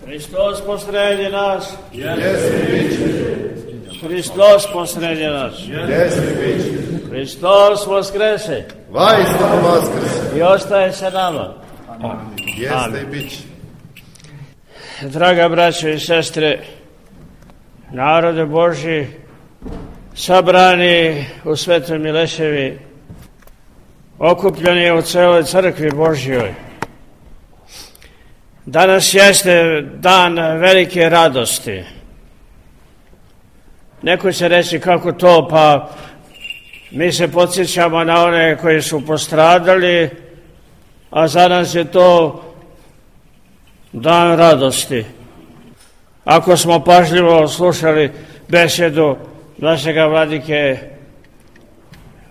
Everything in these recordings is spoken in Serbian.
Hristos posredi nas. Hristos posredi nas. Hristos vaskrese. Vaistinu vaskrese. I ostaje sa nama. Jeste i bit će. Draga braćo i sestre, narode Božji, sabrani u Svetoj Mileševi, okupljeni u celoj crkvi Božjoj. Danas jeste dan velike radosti. Neko će reći kako to, pa mi se podsjećamo na one koji su postradali, a za nas je to dan radosti. Ako smo pažljivo slušali besedu našega vladike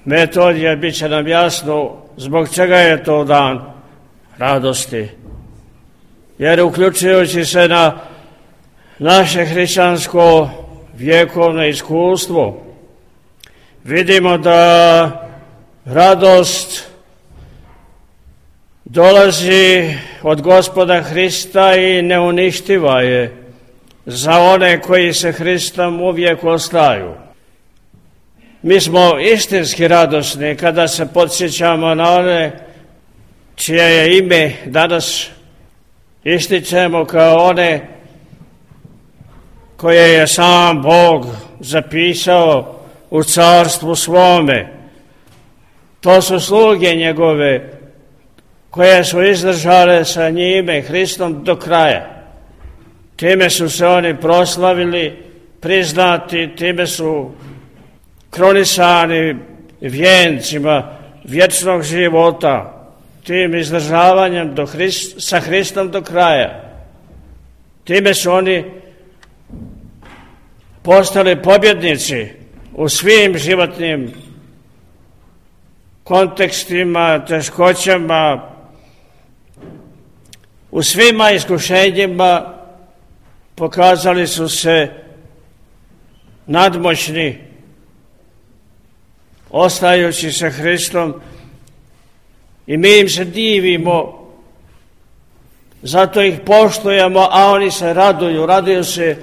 Metodija, bit će nam jasno zbog čega je to dan radosti. Jer uključujući se na naše hrišćansko vjekovno iskustvo, vidimo da radost dolazi od Gospoda Hrista i neuništiva je za one koji se Hristom uvijek ostaju. Mi smo istinski radosni kada se podsjećamo na one čije je ime danas ističemo kao one koje je sam Bog zapisao u carstvu svome. To su sluge njegove koje su izdržale sa njime, Hristom, do kraja. Time su se oni proslavili, priznati, time su kronisani vijencima vječnog života, tim izdržavanjem sa Hristom do kraja. Time su oni postali pobjednici u svim životnim kontekstima, teškoćama, u svima iskušenjima pokazali su se nadmoćni, ostajući sa Hristom, i mi im se divimo, zato ih poštujemo, a oni se raduju se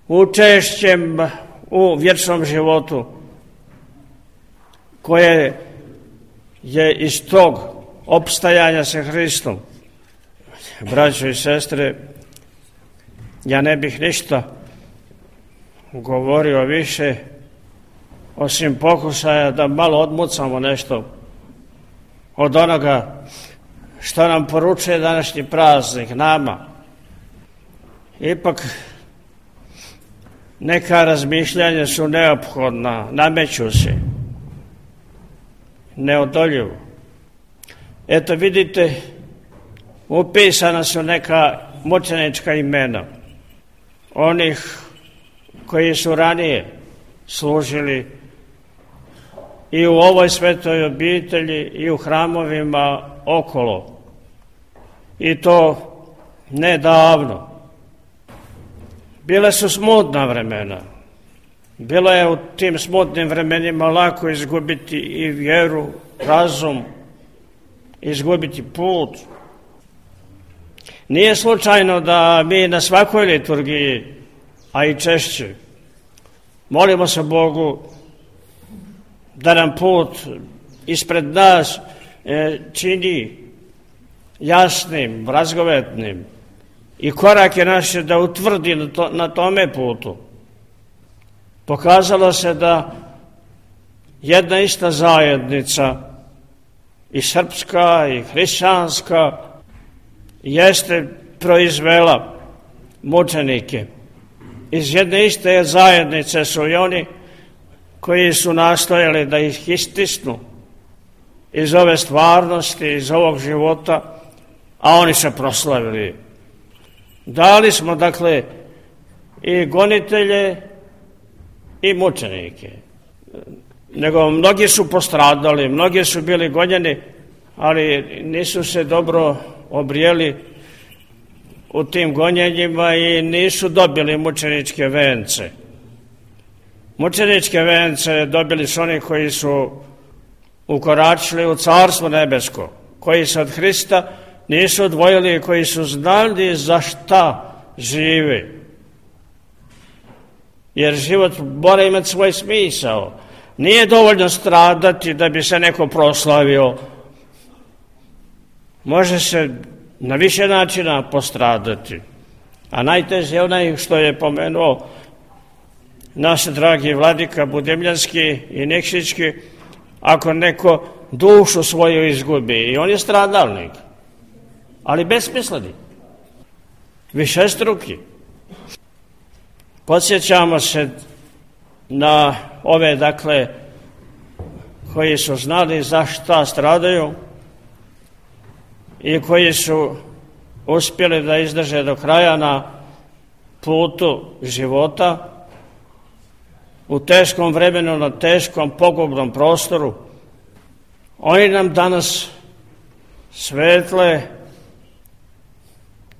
učešćem u vječnom životu, koje je iz tog opstajanja sa Hristom. Braćo i sestre, ja ne bih ništa govorio više, osim pokušaja da malo odmucamo nešto od onoga što nam poručuje današnji praznik nama. Ipak neka razmišljanja su neophodna, nameću se, neodoljivo. Eto vidite, upisana su neka mučenička imena onih koji su ranije služili i u ovoj svetoj obitelji i u hramovima okolo. I to nedavno. Bile su smutna vremena. Bilo je u tim smutnim vremenima lako izgubiti i vjeru, razum, izgubiti put. Nije slučajno da mi na svakoj liturgiji, a i češće, molimo se Bogu da nam put ispred nas čini jasnim, razgovetnim i korake naše da utvrdi na tome putu. Pokazalo se da jedna ista zajednica, i srpska i hrišćanska, jeste proizvela mučenike. Iz jedne iste zajednice su i oni koji su nastojali da ih istisnu iz ove stvarnosti, iz ovog života, a oni se proslavili. Dali smo, dakle, i gonitelje i mučenike. Nego mnogi su postradali, mnogi su bili gonjeni, ali nisu se dobro obrijeli u tim gonjenjima i nisu dobili mučeničke vence. Mučeničke vence dobili su oni koji su ukoračili u Carstvo nebesko, koji se od Hrista nisu odvojili, koji su znali za šta žive. Jer život mora imati svoj smisao. Nije dovoljno stradati da bi se neko proslavio. Može se na više načina postradati. A najteže je onaj što je pomenuo naš dragi vladika Budimljanski i Nikšićki, ako neko dušu svoju izgubi. I on je stradalnik, ali besmisleni, višestruki. Podsjećamo se na ove, dakle, koji su znali za šta stradaju i koji su uspjeli da izdrže do kraja na putu života, u teškom vremenu, na teškom pogubnom prostoru. Oni nam danas svetle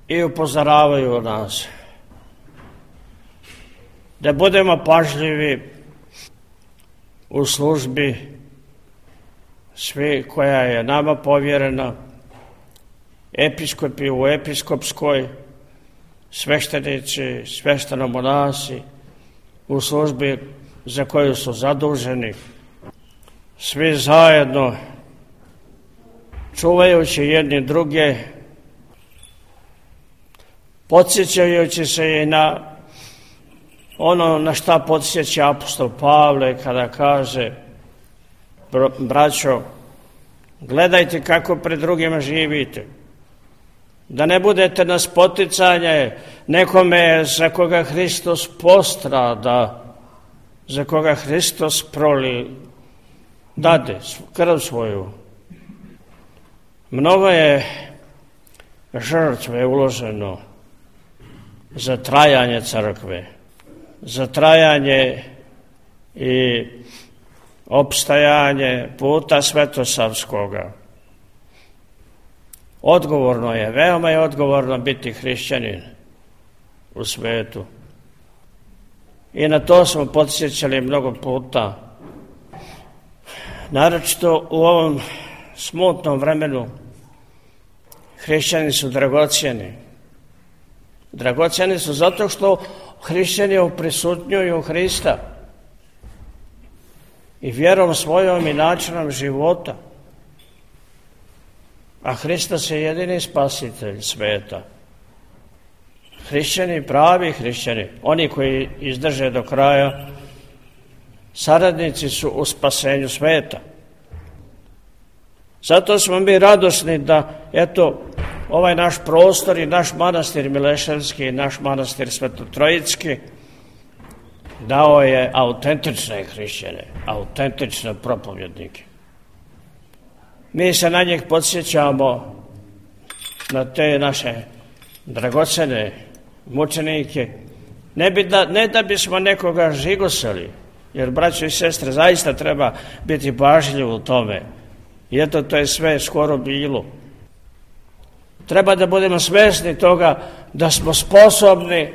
i upozoravaju nas da budemo pažljivi u službi svi koja je nama povjerena, episkopi u episkopskoj, sveštenici, sveštenomonasi u službi za koju su zaduženi, svi zajedno čuvajući jedni druge, podsjećajući se i na ono na šta podsjeća apostol Pavle kada kaže: braćo, gledajte kako pred drugima živite, da ne budete na spoticanje nekome za koga Hristos postrada, za koga Hristos dade krv svoju. Mnogo je žrtve uloženo za trajanje crkve, za trajanje i opstajanje puta svetosavskoga. Odgovorno je, veoma je odgovorno biti hrišćanin u svetu. I na to smo podsjećali mnogo puta. Naročito u ovom smutnom vremenu hrišćani su dragocjeni. Dragocjeni su zato što hrišćani uprisutnjuju Hrista i vjerom svojom i načinom života. A Hristos je jedini spasitelj sveta. Hrišćani, pravi hrišćani, oni koji izdrže do kraja, saradnici su u spasenju sveta. Zato smo mi radosni da, eto, ovaj naš prostor i naš manastir Mileševski i naš manastir Svetotrojicki dao je autentične hrišćane, autentične propovjednike. Mi se na njih podsjećamo, na te naše dragocene mučenike, ne da bismo nekoga žigosali, jer, braćo i sestre, zaista treba biti pažljiv u tome. I eto, to je sve skoro bilo. Treba da budemo svjesni toga da smo sposobni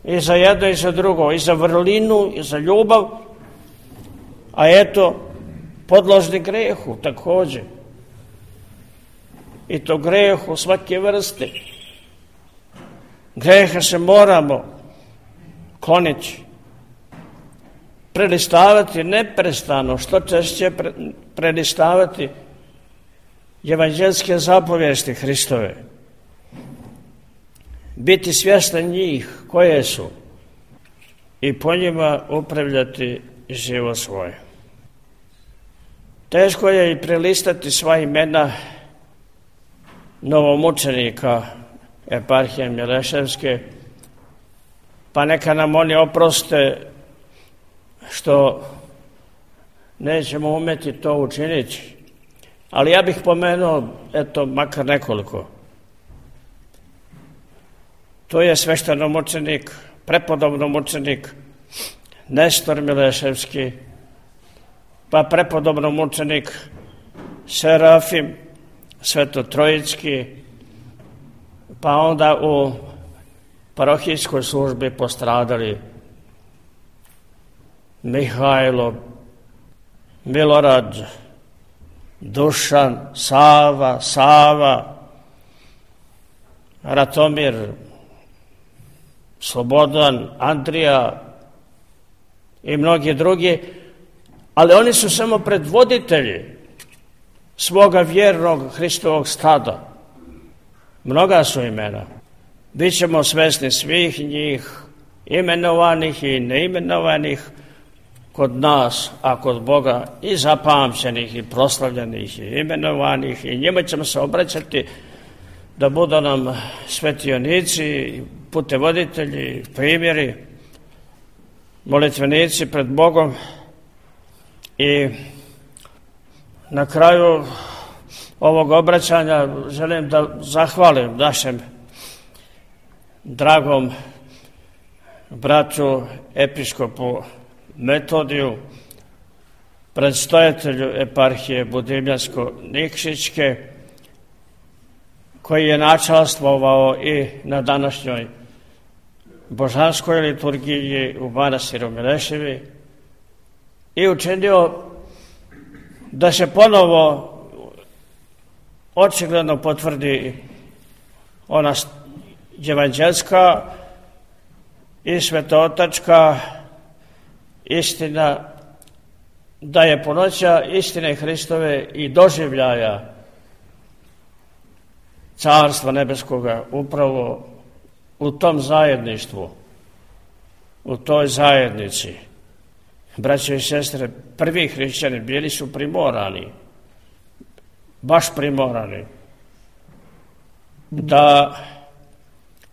i za jedno i za drugo, i za vrlinu, i za ljubav, a eto, podložni grehu također. I to grehu svake vrste. Greha se moramo kloniti, prelistavati neprestano, što češće prelistavati evanđelske zapovijesti Hristove. Biti svjestan njih koje su i po njima upravljati život svoj. Teško je i prelistati sva imena novomučenika eparhije Mileševske, pa neka nam oni oproste što nećemo umjeti to učiniti. Ali ja bih pomenuo, eto, makar nekoliko. To je sveštenomučenik, prepodobnomučenik Nestor Mileševski, pa prepodobnomučenik Serafim Svetotrojicki, pa onda u parohijskoj službi postradali Mihajlo, Milorad, Dušan, Sava, Ratomir, Slobodan, Andrija i mnogi drugi, ali oni su samo predvoditelji svoga vjernog Hristovog stada. Mnoga su imena. Bićemo svesni svih njih, imenovanih i neimenovanih kod nas, a kod Boga i zapamćenih i proslavljenih i imenovanih, i njima ćemo se obraćati da budu nam svetionici, putevoditelji, primjeri, molitvenici pred Bogom. I na kraju ovog obraćanja želim da zahvalim našem dragom bratu episkopu Metodiju, predstojatelju eparhije Budimljansko-Nikšićke, koji je načastvovao i na današnjoj božanskoj liturgiji u manastiru Mileševi i učinio da se ponovo očigledno potvrdi ona evanđelska i svetootačka istina, da je punoća istine Hristove i doživljaja Carstva nebeskoga upravo u tom zajedništvu, u toj zajednici. Braćo i sestre, prvi hrišćani bili su primorani, baš primorani, da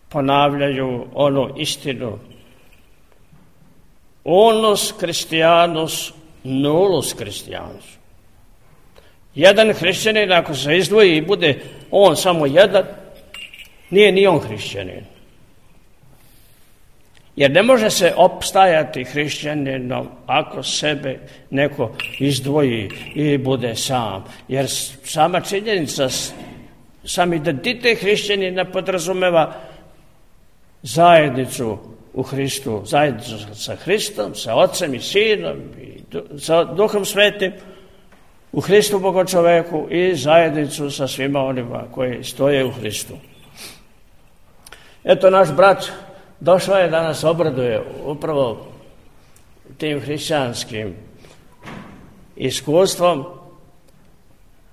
ponavljaju onu istinu: unus Christianus nullus Christianus. Jedan hrišćanin, ako se izdvoji i bude on samo jedan, nije ni on hrišćanin. Jer ne može se opstajati hrišćaninom ako sebe neko izdvoji i bude sam. Jer sama činjenica, sam identitet hrišćanina podrazumeva zajednicu u Hristu, zajednicu sa Hristom, sa Otcem i Sinom i sa Duhom Svetim u Hristu Bogočoveku i zajednicu sa svima onima koji stoje u Hristu. Eto, naš brat došao je da nas obraduje upravo tim hrišćanskim iskustvom,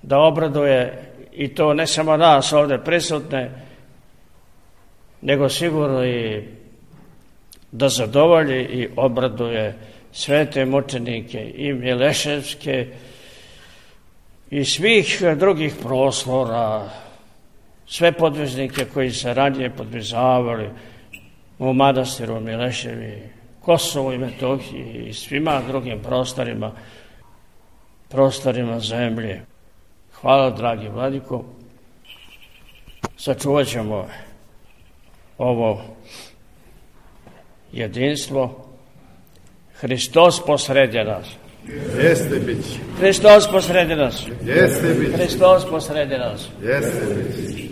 da obraduje i to ne samo nas ovdje prisutne, nego sigurno i da zadovolji i obraduje svete mučenike i mileševske i svih drugih proslora, sve podvižnike koji se ranije podvizavali u manastiru Mileševi, Kosovu i Metohiji i svima drugim prostorima zemlje. Hvala, dragi vladiko. Sačuvat ćemo ovo jedinstvo. Hristos posredi nas. Jeste bić. Hristos posredi nas. Jeste bić. Hristos posredi nas. Jeste bić.